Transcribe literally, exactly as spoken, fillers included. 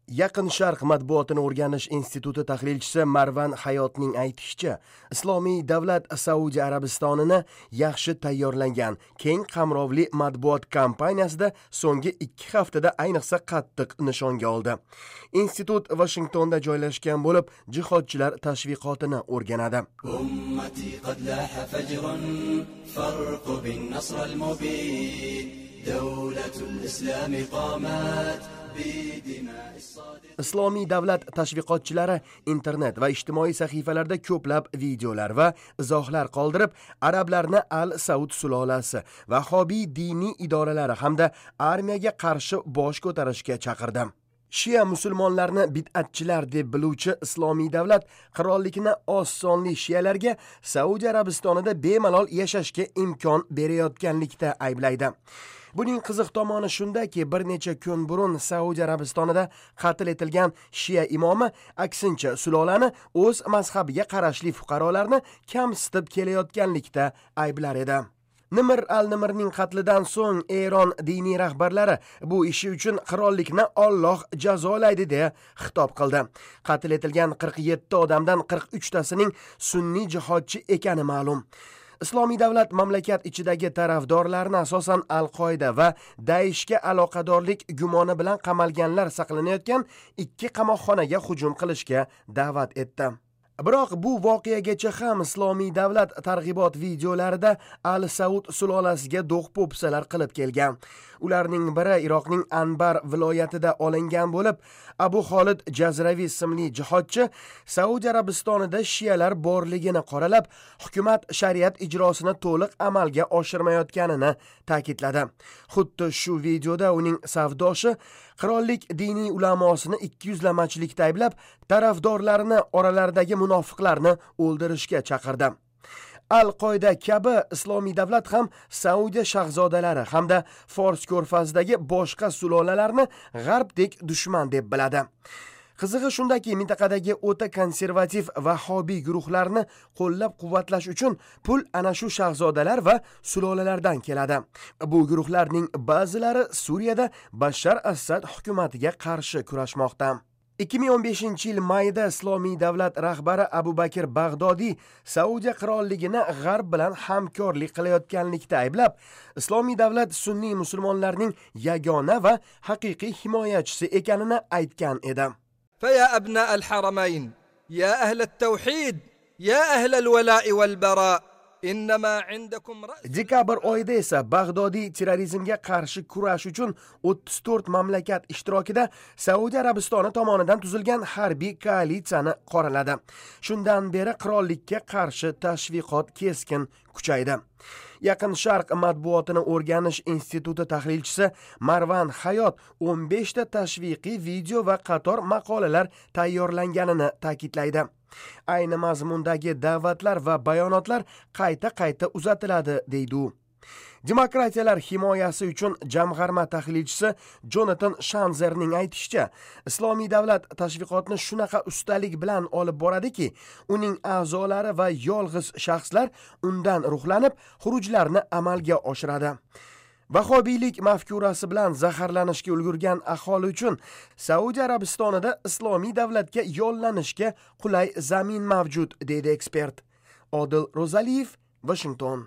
Yaqin Sharq matbuotini o'rganish instituti tahlilchisi Marvan Hayotning aytishicha, Islomiy davlat Saudiya Arabistonini yaxshi tayyorlangan keng qamrovli matbuot kampaniyasida so'nggi ikki haftada ayniqsa qattiq nishonga oldi. Institut Vashingtonda joylashgan bo'lib, jihodchilar tashviqotini o'rganadi. أمتي قد لاح فجر فارقب النصر المبين دولة الإسلام قامت بدماء الصادق Islomiy davlat tashviqotchilari internet va ijtimoiy sahifalarda ko'plab videolar va izohlar qoldirib, arablarni Al-Saud sulolasi, Vahobiy diniy idoralari hamda armiyaga qarshi bosh ko'tarishga chaqirdi. Shia musulmonlarni bid'atchilar deb biluvchi Islomiy davlat qirollikni oz sonli shialarga Saudiya Arabistonida bemalol yashashga imkon berayotganlikda ayblaydi. Buning qiziq tomoni shundaki, bir necha kun burun Saudiya Arabistonida qatl etilgan shia imomi aksincha sulolani o'z mazhabiga qarashli fuqarolarni kamsitib kelayotganlikda ayblar edi. Nimr al-Nimrning qatlidan so'ng Eron diniy rahbarlari bu ishi uchun qirollikni Alloh jazolaydi deya xitob qildi. Qatl etilgan qirq yetti odamdan qirq uchtasining sunniy jihodchi ekani ma'lum. Islomiy davlat mamlakat ichidagi tarafdorlarni asosan Al-Qoida va Daeshga aloqadorlik gumoni bilan qamalganlar saqlanayotgan ikki qamoqxonaga hujum qilishga da'vat etdi. Biroq bu voqeagacha ham Islomiy davlat targ'ibot videolarida Al-Saud sulolasiga do'q-po'pisalar qilib kelgan. Ularning biri Iroqning Anbar viloyatida olingan bo'lib, Abu Xolid Jazraviy ismli jihodchi Saudiya Arabistonida shialar borligini qoralab, hukumat shariat ijrosini to'liq amalga oshirmayotganini ta'kidladi. Xuddi shu videoda uning savdoshi qirollik diniy ulamosini ikki yuzlamachilikda ayblab, tarafdorlarini oralaridagi munofiqlarni o'ldirishga chaqirdi. Al-Qoida kabi Islomiy davlat ham Saudiya shahzodalari hamda Fors ko'rfazidagi boshqa sulolalarni g'arbdek dushman deb biladi. Qizig'i shundaki, mintaqadagi o'ta konservativ vahobiy guruhlarni qo'llab-quvvatlash uchun pul ana shu shahzodalar va sulolalardan keladi. Bu guruhlarning ba'zilari Suriyada Bashar Asad hukumatiga qarshi kurashmoqda. ikki ming o'n beshinchi yil mayda Islomiy davlat rahbari Abu Bakr Bag'dodiy Saudiya qirolligini g'arb bilan hamkorlik qilayotganlikda ayblab, Islomiy davlat sunniy musulmonlarning yagona va haqiqiy himoyachisi ekanini aytgan edi. فيا أبناء الحرمين، يا أهل التوحيد، يا أهل الولاء والبراء، إنما عندكم رأس Dekabr oyida esa Bag'dodiy terrorizmga qarshi kurash uchun o'ttiz to'rt mamlakat ishtirokida Saudiya Arabistoni tomonidan tuzilgan harbiy koalitsiyani qoraladi. Shundan beri qirollikka qarshi tashviqot keskin kuchaydi. Yaqin Sharq matbuotini o'rganish instituti tahlilchisi Marvan Hayot o'n beshta tashviqiy video va qator maqolalar tayyorlanganini ta'kidlaydi. Ayni mazmundagi da'vatlar va bayonotlar qayta-qayta uzatiladi, deydi u. Demokratiyalar himoyasi uchun jamg'arma tahlilchisi Jonathan Shanzerning aytishicha, Islomiy davlat tashviqotni shunaqa ustalik bilan olib boradiki, uning a'zolari va yolg'iz shaxslar undan ruhlanib, xurujlarni amalga oshiradi. Vahobiylik mafkurasi bilan zaharlanishga ulgurgan aholi uchun Saudiya Arabistonida Islomiy davlatga yollanishga qulay zamin mavjud, deydi ekspert. Odil Ro'zaliyev, Washington.